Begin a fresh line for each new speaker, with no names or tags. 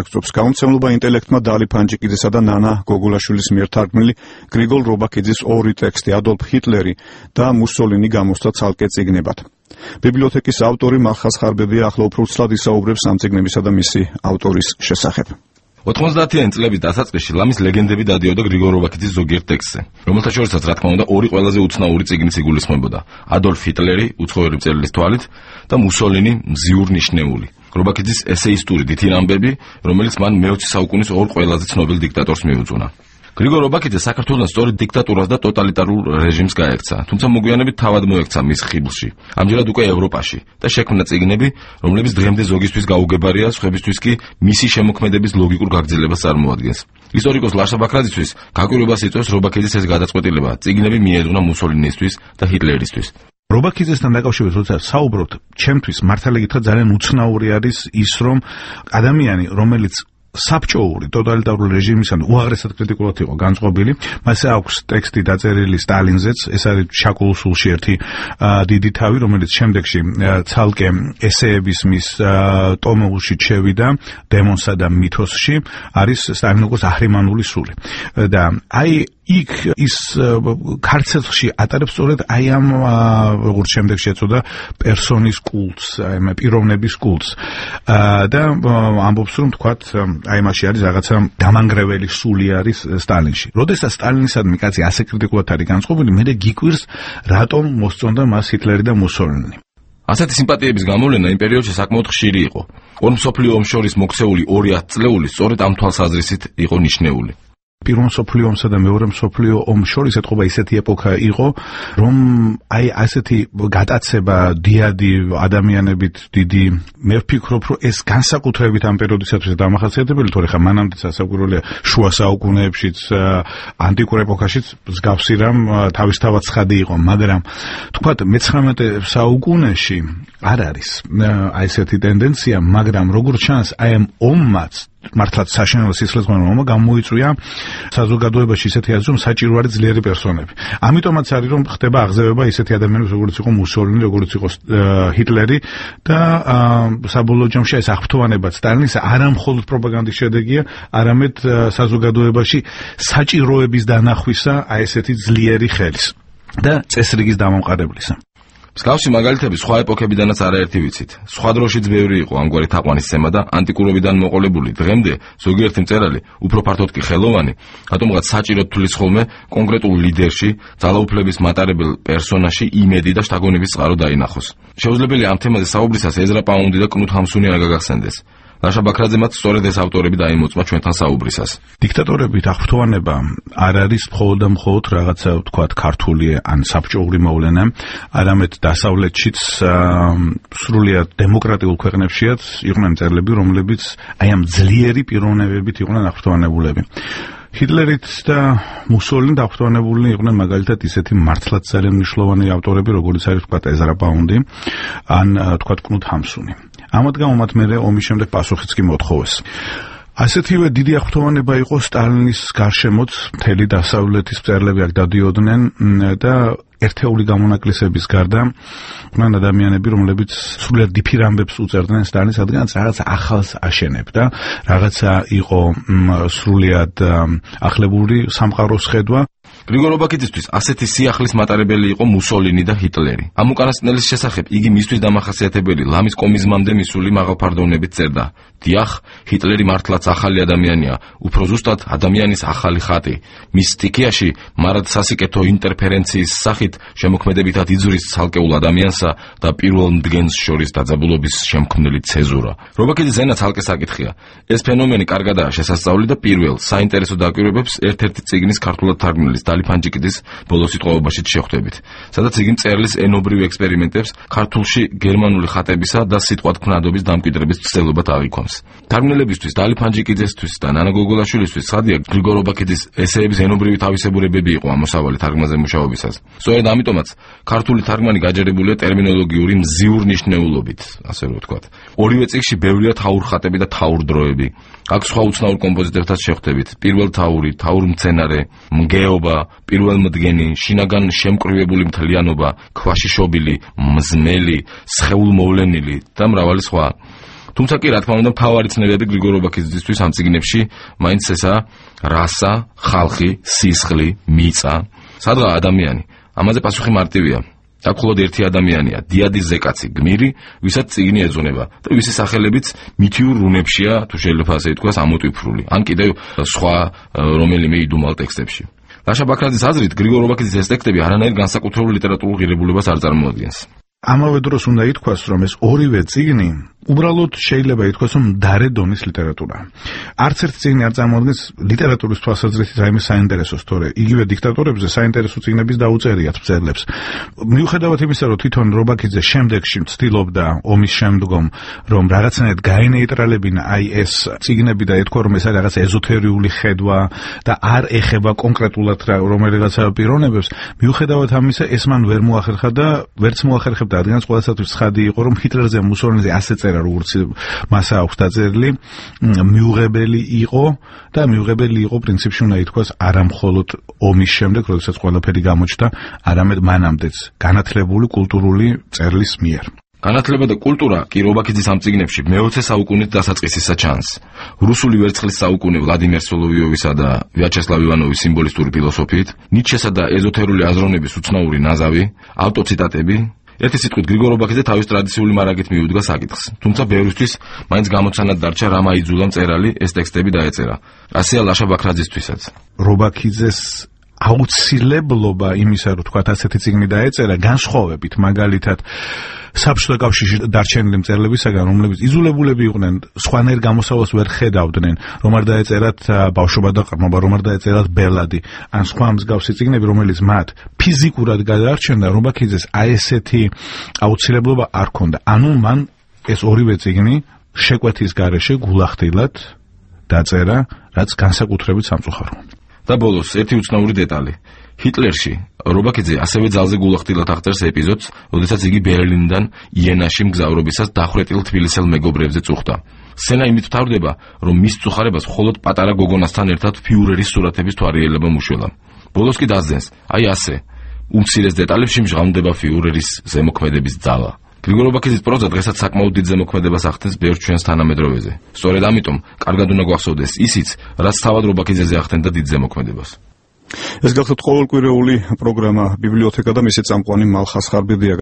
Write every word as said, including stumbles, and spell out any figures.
აღწევს გაუმცემლობა ინტელექტმა დალი ფანჯიკიძესა და ნანა გოგულაშვილის მიერ თარგმნილი გრიგოლ რობაქიძის ორი ტექსტი ადოლფ ჰიტლერი და მუსოლინი გამოსცა ცალკე წიგნებად. ბიბლიოთეკის ავტორი მალხაზ ხარბებია ახლა უფრო ცლად ისაუბრებს ამ წიგნებისა და მისი ავტორის შესახებ.
ოთხმოცდაათიანი წლების დასაწყისში ლამის ლეგენდები დადიოდა გრიგოლ რობაქიძის ზოგიერთ ტექსტზე, რომელთა შორისაც რა თქმა უნდა ორი ყველაზე უცნაური წიგნიც იგულისხმებოდა: ადოლფ ჰიტლერი უცხოური მწერლის თვალით და მუსოლინი მზიურ ნიშნეული. რობაქიძის ესეისტური დიდი ამბები, რომელიც მან მეოცე საუკუნის ორ ყველაზე ცნობილ დიქტატორს მიუძღვნა. გრიგოლ რობაქიძე საქართველოს სწორედ დიქტატურას და ტოტალიტარულ რეჟიმს გაექცა, თუმცა მოგვიანებით თავად მოექცა მის ხიბლში, ამჯერად უკვე ევროპაში და შექმნა წიგნები, რომლებიც დღემდე ზოგისთვის გაუგებარია, სხვებისთვის კი მისი შემოქმედების ლოგიკურ გაგრძელებას წარმოადგენს. ისტორიკოს ლაშა ბაქრაძისთვის გაკვირვებას იწვევს რობაქიძის ეს გადაწყვეტილება, წიგნები მიეძღვნა მუსოლინისთვის და ჰიტლერისთვის.
რობაქიძესთან დაკავშირებით როცა საუბრობთ, ჩემთვის მართალი გითხრათ ძალიან უცნაური არის ის, რომ ადამიანი, რომელიც საბჭოური ტოტალიტარული რეჟიმისგან უაღრესად კრიტიკულად იყო განწყობილი, მასე აქვს ტექსტი დაწერილი სტალინზეც, ეს არის ჩაკულსულში ერთი დიდი თავი, რომელიც შემდეგში ცალკე ესეების მის ტომულში შევიდა, დემონსა და მითოსში, არის სტალინოგოს აჰრიმანული სული. და აი იქ ის ქარცეთში ატარებს სწორედ აი ამ როგორც შემდეგში ეწოდა პერსონის კულტს, აი პიროვნების კულტს. და ამბობს რომ თქვათ აი მასში არის რაღაცა დამანგრეველი სული არის სტალინში. როდესაც სტალინისადმი კაცი ასე კრიტიკულად არის განწყობილი, მე გიკვირს რატომ მოსწონდა მას ჰიტლერი და მუსოლინი.
ასეთი სიმპათიების გამოვლენა იმ პერიოდში საკმაოდ ხშირი იყო. ორ მსოფლიო ომს შორის მოქცეული ორი ათწლეული სწორედ ამ თვალსაზრისით იყო ნიშნეული.
პირველ მსოფლიო ომსა და მეორე მსოფლიო ომს შორის ეთყობა ისეთი ეპოქა იყო, რომ აი ასეთი გატაცება დიადი ადამიანებით დიდი, მე ვფიქრობ, რომ ეს განსაკუთრებით ამ პერიოდისათვის დამახასიათებელი, თორე ხა მანამდე სასაკვირველია შუა საუკუნეებშიც, ანტიკურ ეპოქაშიც მსგავსი რამ თავისთავად ცხადი იყო, მაგრამ თქვათ მეცხრამეტე საუკუნეში არ არის აი ესეთი ტენდენცია, მაგრამ როგორც ჩანს, აი ამ ომმაც მართლაც საშინელო სისხლისმღერო ომმა გამოიწვია საზოგადოებაში ისეთი აზრი, რომ საჭირო არის ძლიერი პერსონები. ამიტომაც არის რომ ხდება აღზევება ისეთი ადამიანების, როგორც იყო მუსოლინი, როგორც იყო ჰიტლერი და საბოლოო ჯამში ეს აღფრთოვანება სტალინის არა მხოლოდ პროპაგანდის შედეგია, არამედ საზოგადოებაში საჭიროების დანახვისა აი ესეთი ძლიერი ხელის და წესრიგის დამამყარებლისა.
მსგავსი მაგალითები სხვა ეპოქებიდანაც არაერთი ვიცით. სხვა დროშიც ბევრი იყო ამგვარი თაყვანისცემა და ანტიკურობიდან მოყოლებული. დღემდე ზოგიერთი მწერალი, უფრო ფართოდ კი ხელოვანი, რატომღაც საჭიროდ თulis ხოლმე კონკრეტულ ლიდერში, ძალაუფლების მატარებელ პერსონაჟში იმედი და შთაგონების წყარო დაინახოს. შეუძლებელია ამ თემაზე საუბრისას ეზრა პაუნდი და კნუთ ჰამსუნი არ გაგახსენდეს. ლაშა ბაქრაძემაც სწორედ ეს ავტორები დაიმოწმა ჩვენთან საუბრისას.
დიქტატორებით აღფრთოვანება არ არის მხოლოდ და მხოლოდ რაღაცა ვთქვათ ქართული ან საბჭოური მოვლენა, არამედ დასავლეთშიც სრულიად დემოკრატიულ ქვეყნებშიაც იყვნენ მწერლები, რომლებიც აი ამ ძლიერი პიროვნებებით იყვნენ აღფრთოვანებულები. ჰიტლერით და მუსოლინით აღფრთოვანებულნი იყვნენ მაგალითად ისეთი მართლაც ძალიან მნიშვნელოვანი ავტორები, როგორც არის ვთქვათ ეზრა პაუნდი ან ვთქვათ კნუთ ჰამსუნი. ამათ გამო მათ მერე ომის შემდეგ პასუხიც კი მოთხოვეს. ასეთივე დიდი აღფრთოვანება იყო სტალინის გარშემოც, მთელი დასავლეთის მწერლები აქ დადიოდნენ და ერთეული გამონაკლისების გარდა იყვნენ ადამიანები, რომლებიც სრულიად დიფირ ამბებს უწერდნენ სტალინის, რადგანაც რაღაცა ახალს აშენებდა, რაღაცა იყო სრულიად ახლებური სამყაროს ხედვა.
გრიგოლ რობაქიძისთვის ასეთი სიახლის მატარებელი იყო მუსოლინი და ჰიტლერი. ამ უკანასკნელის შესახებ იგი მისთვის დამახასიათებელი ლამის კომიზმამდე მისული მაღალფარდოვნებით წერდა: დიახ, ჰიტლერი მართლაც ახალი ადამიანია, უფრო ზუსტად ადამიანის ახალი ხატი. მის სტიქიაში მარად სასიკეთო ინტერფერენციის სახით შემოქმედებითად იძuris ცალკეულ ადამიანსა და პირველ მდგენს შორის დაძაბულობის შემქმნელი ცეზურა. რობაქიძის ენა ცალკე საკითხია. ეს ფენომენი კარგადაა შესასწავლი და პირველ საინტერესო დაკვირვებებს ერთ-ერთი წიგნის ქართულად თარგმნილის დალი ფანჯიკიძის ბოლოს სიტყვაობაშიც შეხვდებით, სადაც იგი მწერლის ენობრივ ექსპერიმენტებს ქართულში გერმანული ხატებისა და სიტყვათქმნადობის დამკვიდრების ცდილობად აღიქვამს. თარგმნელებისთვის, დალი ფანჯიკიძესთვის და ნანა გოგოლაშვილისთვის ცხადია გრიგოლ რობაქიძის ესეების ენობრივი თავისებურებები იყო ამოსავალი თარგმანზე მუშაობისას. სწორედ ამიტომაც ქართული თარგმანი გაჯერებულია ტერმინოლოგიური მზიურ ნიშნეულობით, ასე რომ ვთქვათ. ორივე წიგნში ბევრია თაურ ხატები და თაურ დროები. აქ სხვა უცნაურ კომპოზიტორებთან შეხვდებით: პირველ თაური, თაურ მცენარე, მგეობა, პირველმდგენი, შინაგან შემკრივებული მთლიანობა, ქვაში შობილი, მზმელი, სხეულმოვლენილი და მრავალი სხვა. თუმცა კი რა თქმა უნდა მთავარი ცნებები გრიგორ რობაქიძისთვის ამ წიგნებში მაინც ესაა რასა, ხალხი, სისხლი, მიწა, სადღა ადამიანი. ამაზე პასუხი მარტივია. აქ მხოლოდ ერთი ადამიანია, დიადი ზეკაცი, გმირი, ვისაც წიგნი ეძღვნება და ვისი სახელებიც მითიურ რუნებშია, თუ შეიძლება ასე ითქვას, ამოტვიფრული, ან კიდევ სხვა რომელიმე იდუმალ ტექსტებში. ლაშა ბაქრაძის აზრით, გრიგორ რობაქიძის ეს ტექსტები არანაირ განსაკუთრებულ ლიტერატურულ ღირებულებას არ წარმოადგენს.
ამავე დროს უნდა ითქვას, რომ ეს ორივე წიგნი უბრალოდ შეიძლება ითქვას, რომ მდარე დონის ლიტერატურაა. არც ერთი წიგნი არ წარმოადგენს ლიტერატურის თვალსაზრისით რაიმე საინტერესოს, თორე იგივე დიქტატორებზე საინტერესო წიგნების დაუწერიათ მწერლებს. მიუხედავად იმისა, რომ თვითონ რობაქიძე შემდეგში ცდილობდა ომის შემდგომ, რომ რაღაცნაირად გაენეიტრალებინა აი ეს წიგნები და ეთქვა, რომ ეს არის რაღაც ეზოთერიული ხედვა და არ ეხება კონკრეტულად რომელიღაც პიროვნებებს, მიუხედავად ამისა, ეს მან ვერ მოახერხა და ვერც მოახერხებდა, რადგან ყველასათვის ცხადი იყო, რომ ჰიტლერზე მუსოლინიზე ასე წერა, როგორც მას აქვს დაწერილი, მიუღებელი იყო და მიუღებელი იყო პრინციპში უნდა ითქვას არა მხოლოდ ომის შემდეგ, როდესაც ყველაფერი გამოჩნდა, არამედ მანამდეც განათლებული კულტურული წერლის მიერ.
განათლება და კულტურა კი რობაქიძის ამ წიგნებში მეოცე საუკუნით დასაწყისისა ჩანს. რუსული ვერცხლის საუკუნე ვლადიმერ სოლოვიოვისა და ვიაჩესლავ ივანოვის სიმბოლისტური ფილოსოფიით, ნიცშესა და ეზოთერული აზროვნების უცნაური ნაზავი, ავტოციტატები. ერთი სიტყვით გრიგორ რობაქიძე თავის ტრადიციული მარაგით მიუდგა საკითხს. თუმცა ბევრისთვის მაინც გამოცანად დარჩა რა მაიძულა მწერალი ეს ტექსტები დაეწერა. ასეა ლაშა ბაქრაძისთვისაც.
რობაქიძეს აუცილებლობა იმისა, რომ თქვათ ასეთი წიგნი დაეწერა, განსხვავებით მაგალითად საბჭოთა კავშირში დარჩენილი მწერლებისაგან, რომლებიც იძულებულები იყვნენ სხვანაირ გამოსავალს ვერ ხედავდნენ, რომ არ დაეწერათ ბავშვობა და ყრმობა, რომ არ დაეწერათ ბელადი, ან სხვა მსგავსი წიგნები, რომელიც მათ ფიზიკურად გადაარჩენდა, რობაქიძეს აი ესეთი აუცილებლობა არ ჰქონდა. ანუ მან ეს ორივე წიგნი შეკვეთის გარეშე გულახდილად დაწერა, რაც განსაკუთრებით სამწუხაროა.
და ბოლოს ერთი უცნაური დეტალი. ჰიტლერში რობაქიძე ასევე ძალზე გულახდილად აღწერს ეპიზოდს, როდესაც იგი ბერლინიდან იენაში მგზავრობისას დახვრეტილ თბილისელ მეგობრებზე წუხდა. სცენა იმით მთავრდება, რომ მის წუხარებას მხოლოდ პატარა გოგონასთან ერთად ფიურერის სურათების თვალიერება მუშველა. ბოლოს კი დასძენს, აი ასე, უმცირეს დეტალებში მჟღავნდება ფიურერის ზემოქმედების ძალა. გრიგორ რობაქიძის პროზა დღესაც საკმაოდ დიდ ზემოქმედებას ახდენს ბევრ ჩვენს თანამედროვეზე. სწორედ ამიტომ კარგად უნდა გვახსოვდეს ისიც, რაც თავად რობაქიძეზე ახდენდა დიდ ზემოქმედებას.
ეს გახლავთ ყოველკვირეული პროგრამა ბიბლიოთეკა და მისი წამყვანი მალხას ხარბიდია.